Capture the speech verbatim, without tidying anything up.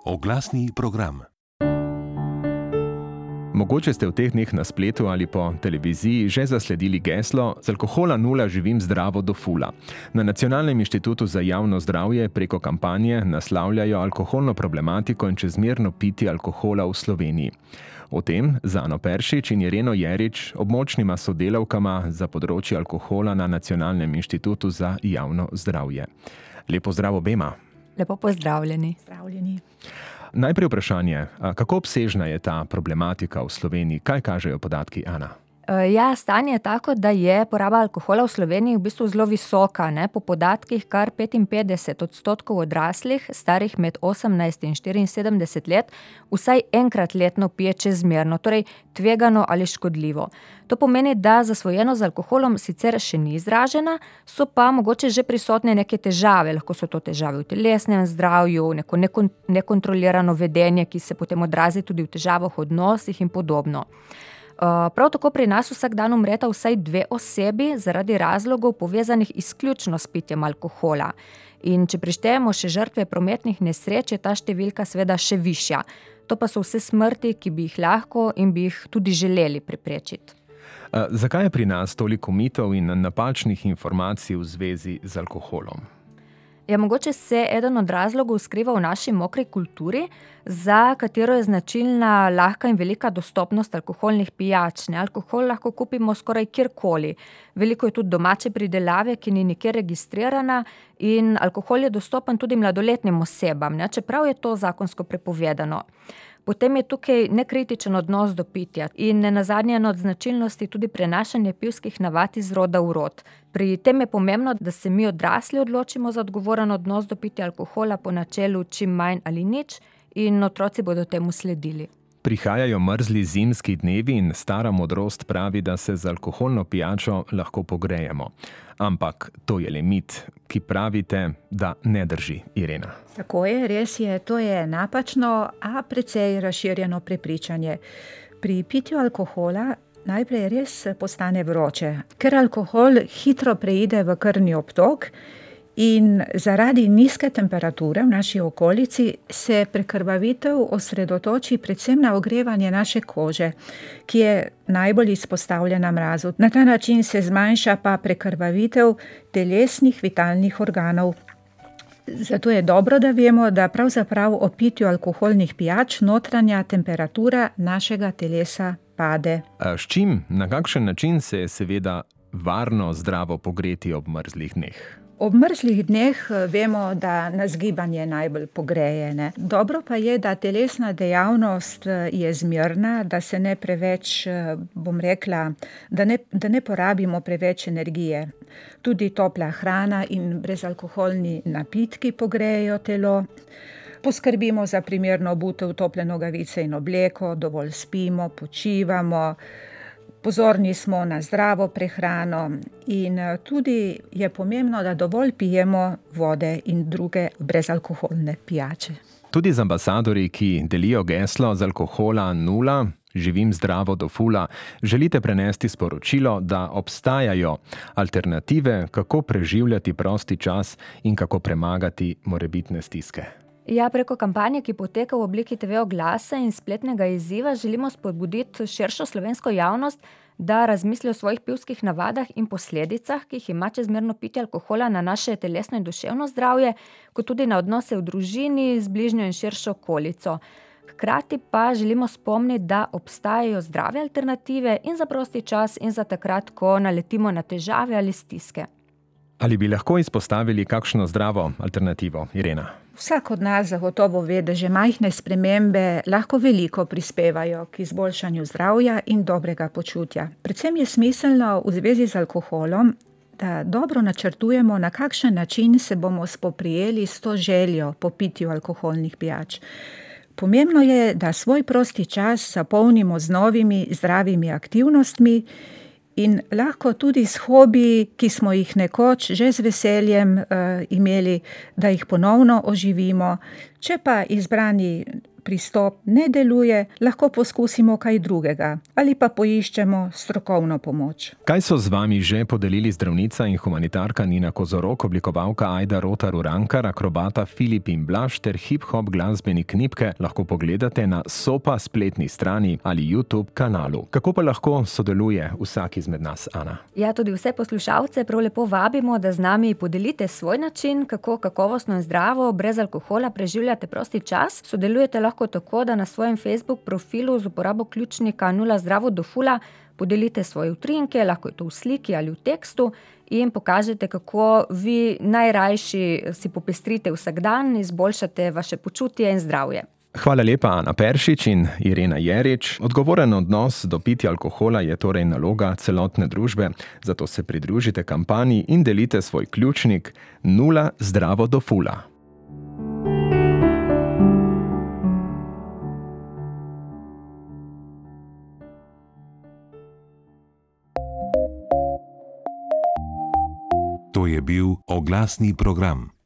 Oglasni program. Mogoče ste v teh dneh na spletu ali po televiziji že zasledili geslo "Z alkohola nula živim zdravo do fula". Na Nacionalnem inštitutu za javno zdravje preko kampanje naslavljajo alkoholno problematiko in čezmerno pitje alkohola v Sloveniji. O tem z Ano Peršič in Ireno Jerič, območnima sodelavkama za področje alkohola na Nacionalnem inštitutu za javno zdravje. Lepo zdrav obema. Lepo pozdravljeni. Zdravljeni. Najprej vprašanje, kako obsežna je ta problematika v Sloveniji? Kaj kažejo podatki, Ana? Ja, stanje je tako, da je poraba alkohola v Sloveniji v bistvu zelo visoka. Ne? Po podatkih kar petinpetdeset odstotkov odraslih, starih med osemnajst in štiriinsedemdeset let, vsaj enkrat letno pije čezmerno, torej tvegano ali škodljivo. To pomeni, da zasvojenost z alkoholom sicer še ni izražena, so pa mogoče že prisotne neke težave. Lahko so to težave v telesnem zdravju, neko nekon- nekontrolirano vedenje, ki se potem odrazi tudi v težavah v odnosih in podobno. Prav tako pri nas vsak dan umreta vsaj dve osebi zaradi razlogov povezanih izključno s pitjem alkohola. In če prištejemo še žrtve prometnih nesreč, je ta številka seveda še višja. To pa so vse smrti, ki bi jih lahko in bi jih tudi želeli preprečiti. Zakaj je pri nas toliko mitov in napačnih informacij v zvezi z alkoholom? Ja, mogoče se eden od razlogov skriva v naši mokri kulturi, za katero je značilna lahka in velika dostopnost alkoholnih pijač. Ne, alkohol lahko kupimo skoraj kjerkoli. Veliko je tudi domače pridelave, ki ni nikjer registrirana, in alkohol je dostopen tudi mladoletnim osebam, ne, čeprav je to zakonsko prepovedano. Potem je tukaj nekritičen odnos do pitja in nenazadnje ena od značilnosti tudi prenašanje pivskih navad iz roda v rod. Pri tem je pomembno, da se mi odrasli odločimo za odgovoren odnos do pitja alkohola po načelu čim manj ali nič in otroci bodo temu sledili. Prihajajo mrzli zimski dnevi in stara modrost pravi, da se z alkoholno pijačo lahko pogrejemo. Ampak to je le mit, ki pravite, da ne drži, Irena. Tako je, res je, to je napačno, a precej razširjeno prepričanje. Pri pitju alkohola najprej res postane vroče, ker alkohol hitro preide v krvni obtok in zaradi nizke temperature v naši okolici se prekrvavitev osredotoči predvsem na ogrevanje naše kože, ki je najbolj izpostavljena mrazu. Na ta način se zmanjša pa prekrvavitev telesnih vitalnih organov. Zato je dobro, da vemo, da pravzaprav o pitju alkoholnih pijač notranja temperatura našega telesa pade. A s čim, na kakšen način se je seveda varno zdravo pogreti ob mrzlih dneh? Ob mrzlih dneh vemo, da nas gibanje najbolj pogreje. Ne? Dobro pa je, da telesna dejavnost je zmerna, da se ne preveč, bom rekla, da ne, da ne porabimo preveč energije. Tudi topla hrana in brezalkoholni napitki pogrejejo telo. Poskrbimo za primerno obutev, tople nogavice in obleko, dovolj spimo, počivamo. Pozorni smo na zdravo prehrano in tudi je pomembno, da dovolj pijemo vode in druge brezalkoholne pijače. Tudi z ambasadorji, ki delijo geslo "Z alkohola nula živim zdravo do fula", želite prenesti sporočilo, da obstajajo alternative, kako preživljati prosti čas in kako premagati morebitne stiske. Ja, preko kampanje, ki poteka v obliki te ve oglasa in spletnega izziva, želimo spodbuditi širšo slovensko javnost, da razmisli o svojih pivskih navadah in posledicah, ki jih ima čezmerno pitje alkohola na naše telesno in duševno zdravje, kot tudi na odnose v družini, z bližnjo in širšo okolico. Hkrati pa želimo spomniti, da obstajajo zdrave alternative in za prosti čas in za takrat, ko naletimo na težave ali stiske. Ali bi lahko izpostavili kakšno zdravo alternativo, Irena? Vsak od nas zagotovo ve, da že majhne spremembe lahko veliko prispevajo k izboljšanju zdravja in dobrega počutja. Predvsem je smiselno v zvezi z alkoholom, da dobro načrtujemo, na kakšen način se bomo spoprijeli s to željo po pitju alkoholnih pijač. Pomembno je, da svoj prosti čas zapolnimo z novimi zdravimi aktivnostmi in lahko tudi s hobiji, ki smo jih nekoč že z veseljem uh, imeli, da jih ponovno oživimo. Če pa izbrani pristop ne deluje, lahko poskusimo kaj drugega ali pa poiščemo strokovno pomoč. Kaj so z vami že podelili zdravnica in humanitarka Nina Kozorok, oblikovalka Ajda Rotar Urankar, akrobata Filip in Blaž ter hip-hop glasbenik Nipke, lahko pogledate na Sopa spletni strani ali YouTube kanalu. Kako pa lahko sodeluje vsak izmed nas, Ana? Ja, tudi vse poslušalce prav lepo vabimo, da z nami podelite svoj način, kako kakovostno in zdravo brez alkohola preživljate prosti čas. Sodelujete lahko tako, da na svojem Facebook profilu z uporabo ključnika nula zdravo do fula podelite svoje utrinke, lahko je to v sliki ali v tekstu, in pokažete, kako vi najrajši si popestrite vsak dan, izboljšate vaše počutje in zdravje. Hvala lepa, Ana Peršič in Irena Jerič. Odgovoren odnos do pitja alkohola je torej naloga celotne družbe, zato se pridružite kampanji in delite svoj ključnik nula zdravo do fula. To je bil oglasni program.